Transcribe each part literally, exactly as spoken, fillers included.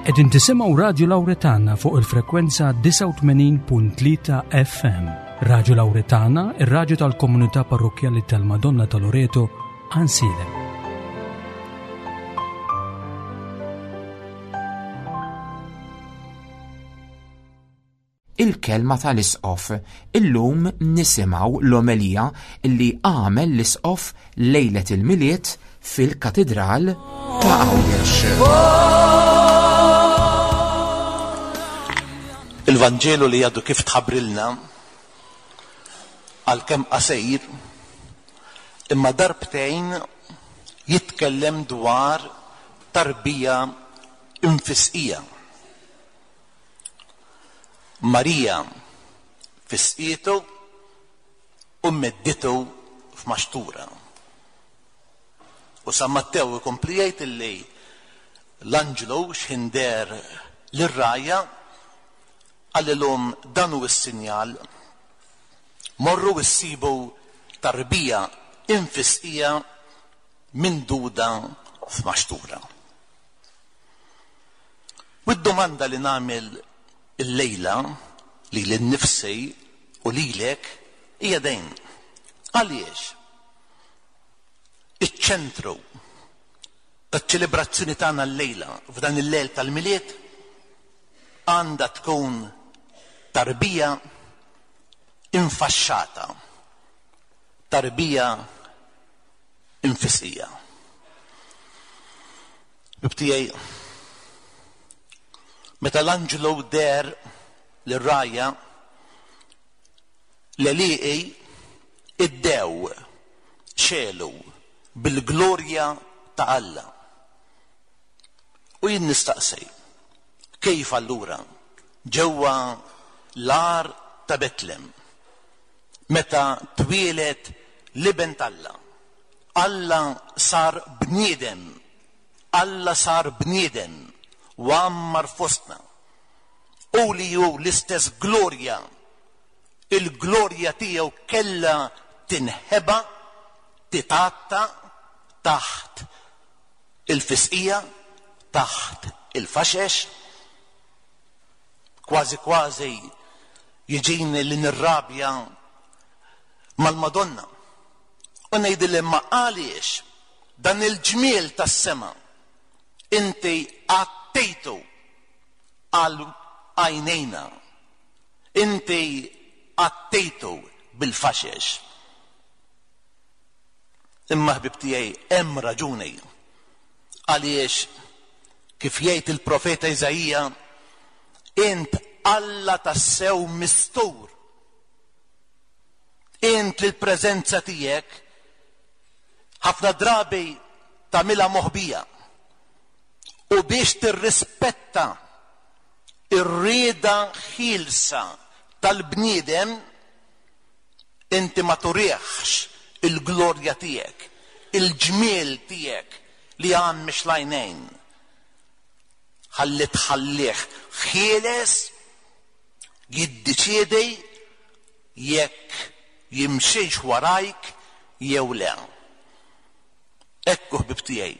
Qegħdin tisimgħu Radju Lawretana fuq il-frekwenza disgħa u tmenin punt tlieta F M. Radju Lawretana, ir-radju tal-komunità parrokkjali tal-Madonna ta' Loreto, Għajnsielem. Il-kelma tal-Isqof. Illum nisimgħu l-omelija li għamel l-Isqof lejlet il-Milied fil-Katidral ta' Għawdex. Il-Vanġelu li għadu kif tħabbrilna għalkemm qasir, imma darbtejn jitkellem dwar tarbija infisqija. Marija fisqietu u medditu f'maxtura. U San Mattew ikompli jgħid illi l-anġlu x'ħin deher lir-rgħajja qalilhom dan hu s-sinjal, morru issibu tarbija infisqija minduda f'maxtura. U d-domanda li nagħmel illejla li lil nifsi u lilek hija dejn. Għaliex iċ-ċentru taċ-ċelebrazzjoni tagħna llejla f'dan il-lejl tal-Milied għandha tkun tarbija infaxxata, tarbija infisqija. Bibtijaj, meta l-anġlu deher lir-rgħajja, l-għelieqi iddew xelu bil-glorja ta' Alla. U jien nistaqsi, kif allura ġewwa l-għar ta' Betlem, meta twieled l-Iben t'Alla, Alla sar bniedem, Alla sar bniedem u għammar fostna, u li hu l-istess glorja, il-glorja tiegħu kellha tinħeba, titgħatta taħt il-fisqija, taħt il-faxex. Kważi kważi jiġini li nirrabja mal-Madonna u ngħidilha imma għaliex dan il-ġmiel tas-sema inti għattejtu għal għajnejna, inti għattejtu bil-faxex. Imma ħbib tiegħi hemm raġuni għaliex kif jgħid il-profeta Iżaija, int Alla tassew mistur, int li l-preżenza tiegħek ħafna drabi tagħmilha moħbija, u biex tirrispetta ir-rieda ħielsa tal-bniedem inti ma turihx il-glorja tiegħek, il-ġmiel tiegħek li għammex l-għajnejn. Ħalli tħallih ħieles jiddeċiedi jekk jimxiex warajk jew le. Ekku ħbib tiegħi,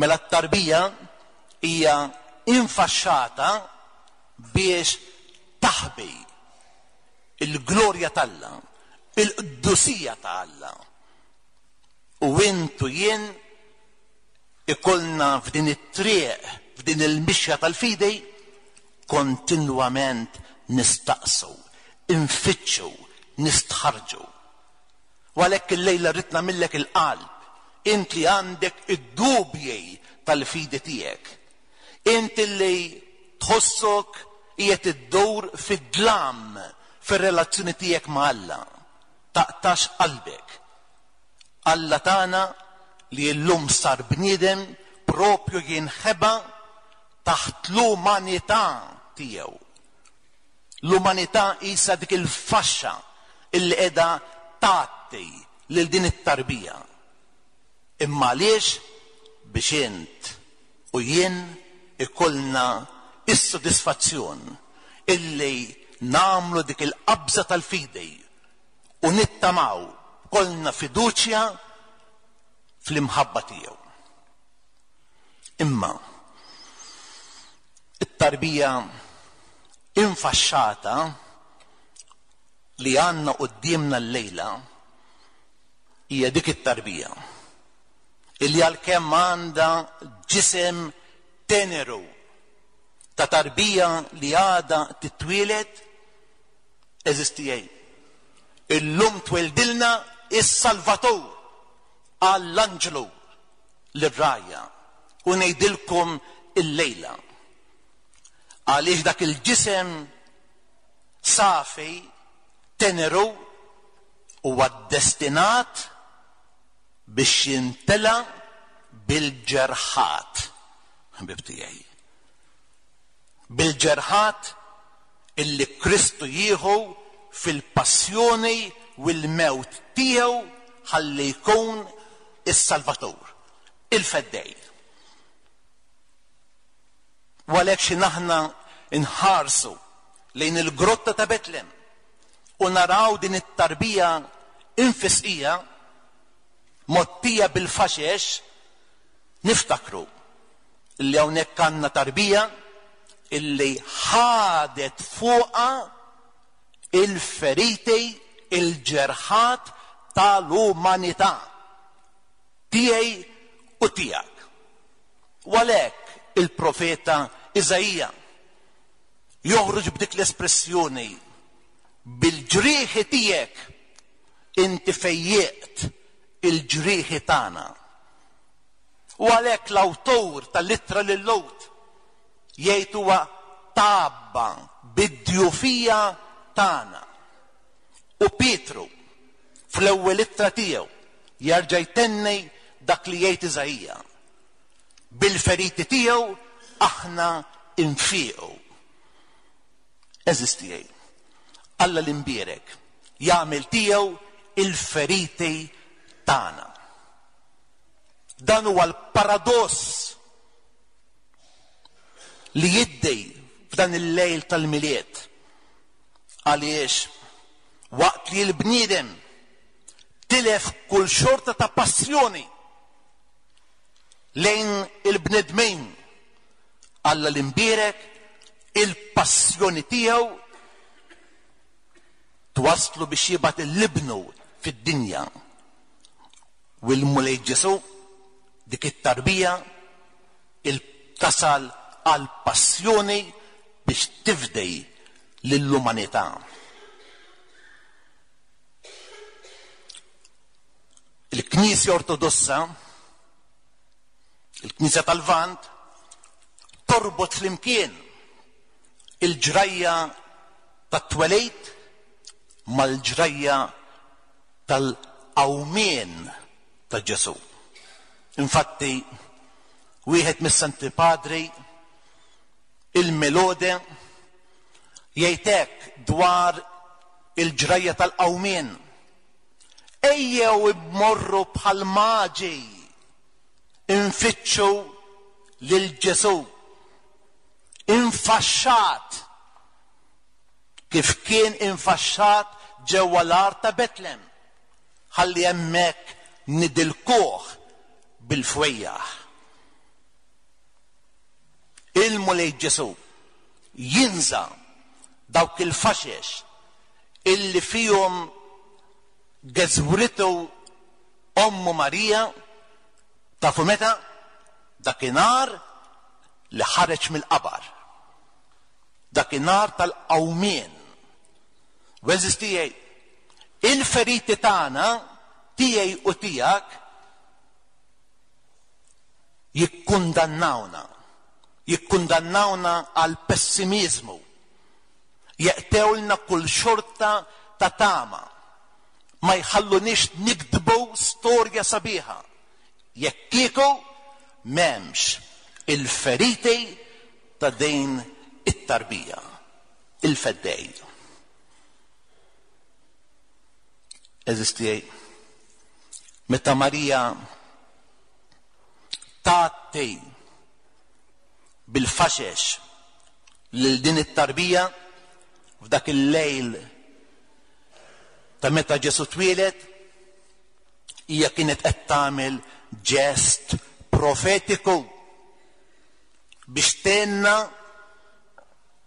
mela t-tarbija hija infaxxata biex taħbi il-glorja t'Alla, il-qdusija ta' Alla. U intu jien ikollna f'din it-triq, f'din il-mixja tal-fidi, kontinwament nistaqsu, infittxu, nistħarġu. U għalhekk illejla rrid nagħmillek il-qalb, int li għandek id-dubji tal-fidi tiegħek, int li tħossok qiegħed iddur fid-dlam fir-relazzjoni tiegħek ma' Alla. Taqtax qalbek. Alla tagħna li llum sar bniedem propju jinħeba taħt l-umanità tiegħu. L-umanità qisha dik il-faxxa illi qiegħda tgħatti lil din it-tarbija. Imma għaliex? Biex int u jien ikollna is-sodisfazzjon illi nagħmlu dik il-qabża tal-fidi u nittamaw kollna fiduċja fl-imħabba tiegħu. Imma It-tarbija infaxxata li għandna quddiemna llejla hija dik it-tarbija illi għalkemm għandha ġisem teneru ta' tarbija li għadha titwieled, għeżież tiegħi, illum tweldilna is-Salvatur għall-anġlu lir-rgħajja u ngħidilkom illejla. Għaliex dak il-ġisem safi teneru huwa destinat biex jintela bil-ġerħat, ħbib tiegħi. Bil-ġerħat illi Kristu jieħu fil-passjoni u l-mewt tiegħu ħalli jkun is-Salvatur, il-Feddej. U għalhekk xi aħna nħarsu lejn il-grotta ta' Betlem u naraw din it-tarbija infisqija mgħottija bil-faxex, niftakru li hawnhekk għandna tarbija illi ħadet fuqha il-feriti, il-ġerħat tal-umanità tiegħi u tiegħek. U għalhekk il-profeta Iżaija joħroġ b'dik l-espressjoni: bil-ġrieħi tiegħek inti fejjeqt il-ġrieħi tagħna. U għalhekk l-awtur tal-ittra lil-Lhud jgħid huwa tgħabba bid-djufija tagħna. U Pietru fl-ewwel ittra tiegħu jerġa' jtenni dak li jgħid Iżaija: bil-feriti tiegħu aħna nfiqu. Għeżież tiegħi, Alla l-imbierek jagħmel tiegħu il-feriti tagħna. Dan huwa l-paradoss li jiddej f'dan il-lejl tal-Milied. Għaliex waqt li l-bniedem tilef kull xorta ta' passjoni lejn il-bnedmin, Alla l-imbierek il-passjoni tiegħu twaslu biex jibgħat il-libnu fid-dinja. U l-Mulej Ġesu, dik it-tarbija, il-tasal għal-passjoni biex tifdej lill-umanità. Il-Knisja Ortodossa, il-Knisja tal-Lvant, torbot flimkien il-ġrajja tat-twelid mal-ġrajja tal-qawmien ta' Ġesu. Infatti, wieħed mis-Santi Padri, il-Melode, jgħid hekk dwar il-ġrajja tal-qawmien: ejjew immorru bħal maġi infittxu lil Ġesu infaxxat kif kien infaxxat ġewwa l-art ta' Betlem, ħalli hemmhekk nidilkuh bil-fwejjaħ. Il-Mulej Ġesu jinża dawk il-faxex illi fihom geżwritu ommu Marija, tafu meta? Dakinhar li ħareġ mill-qabar, dakinhar tal-qawmien. Għeżież tiegħi, il-feriti tagħna, tiegħi u tiegħek, jikkundannawna, jikkundannawna għal pessimizmu, jeqtewlna kull xorta ta' tama, ma jħallunix nikdbu storja sabiħa jekk kieku m'hemmx il-feriti ta' din it-tarbija, il-feddej. Għeżież tiegħi, meta Marija tgħatti bil-faxex lil din it-tarbija f'dak il-lejl ta' meta Ġesu twieled, hija kienet qed tagħmel ġest profetiku biex tenna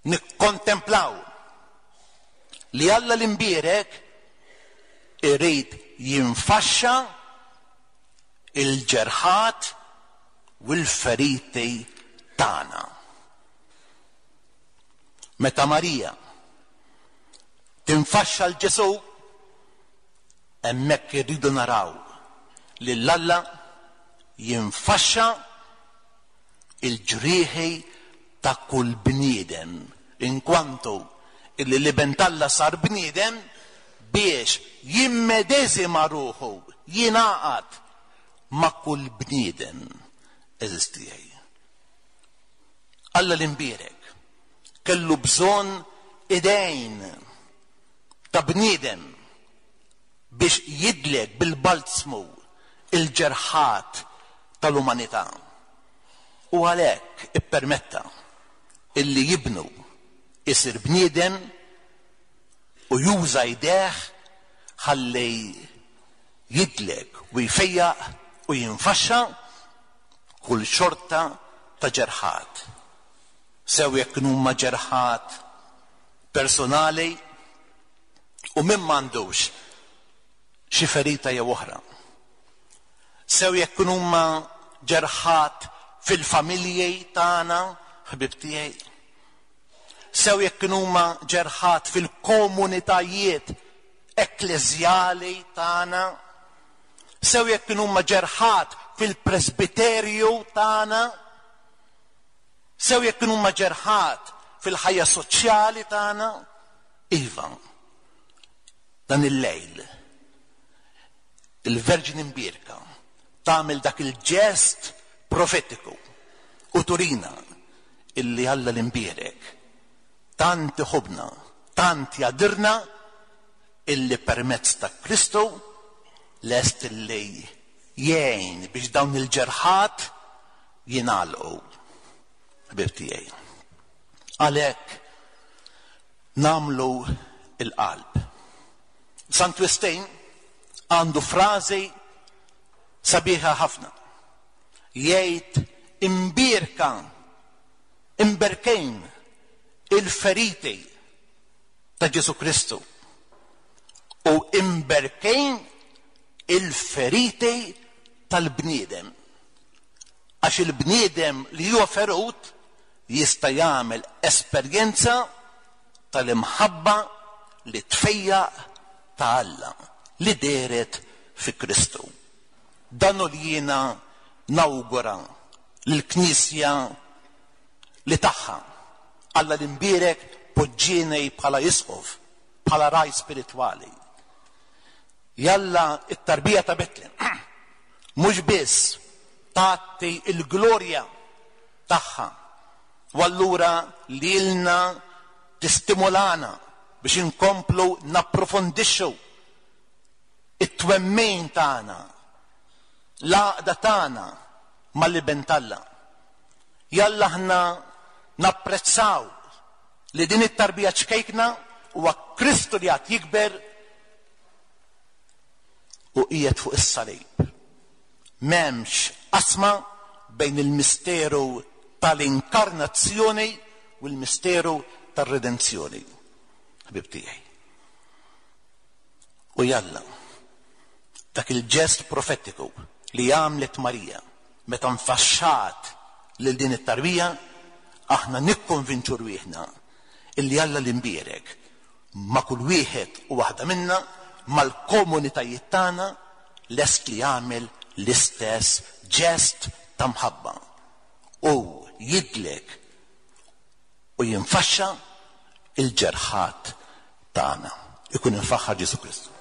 Nikkontemplaw li Alla l-imbierek irid jinfaxxa il-ġerħat u l-feriti tagħna. Meta Marija tinfaxxa l Ġesù, hemmhekk irridu naraw lil Alla jinfaxxa il-ġrieħi ta' kull bniedem, inkwantu illi l-Iben t'Alla sar bniedem biex jimmedeżima ruħu, jingħaqad ma' kull bniedem eżistijaj. Alla l-imbierek kellu bżonn idejn ta' bniedem biex jidlek bil-balzmu il-ġerħat tal-umanità. U għalhekk ippermetta illi jibnu isir bniedem u juża jdejh ħalli jidlek u jfejjaq u jinfaxxa kull xorta ta' ġerħat. Sew jekk huma ġerħat personali u min m'għandux xi ferita jew oħra. Sew jekk huma ġerħat fil-familji tagħna, ħbib tiegħi. Sew jekk huma ġerħat fil-komunitajiet ekkleżjali tagħna. Sew jekk huma ġerħat fil-presbiterju tagħna. Sew jekk huma ġerħat fil-ħajja soċjali tagħna. Iva, dan il-lejl il-Verġni Mbierka tagħmel dak il-ġest profetiku u turina illi Alla l-imbierek tant iħobbna, tant jadirna illi permezz ta' Kristu lest illi jgħin biex dawn il-ġerħat jingħalqu. Ħbib tiegħi. Għalhekk nagħmlu il-qalb. Sant Wistin għandu frażi sabiħa ħafna. Jgħid imbierka, imberkejn il-feriti ta' Ġesù Kristu u imberkejn il-feriti tal-bniedem. Għax il-bniedem li huwa ferut jista' jagħmel esperjenza tal-imħabba li tfejjaq ta' Alla li dehret fi Kristu. Dan hu li jiena nawgura lill-Knisja li tagħha Alla l-imbierek poġġieni bħala isqof, bħala raj spiritwali. Jalla it-tarbija ta' Betlem mhux biss tagħti l-glorja tagħha u allura lilna tistimulana biex inkomplu napprofondixxu it-twemmin tagħna, l-għaqda tagħna mal-Iben t'Alla. Jalla aħna napprezzaw li din it-tarbija ċkejkna huwa Kristu li għad jikber u qiegħed fuq is-salib. M'hemmx qasma bejn il-misteru tal-inkarnazzjoni u l-misteru tar-redenzjoni. Ħbib tiegħi. U jalla dak il-ġest profetiku li għamlet Marija meta nfaxxat lil din it-tarbija, aħna nikkonvinċu rwieħna illi Alla l-imbierek ma' kull wieħed u waħda minna, mal-komunitajiet tagħna, lest li jagħmel l-istess ġest ta' mħabba u jidlek u jinfaxxa il-ġerħat tagħna. Ikun infaħħar Ġesù Kristu.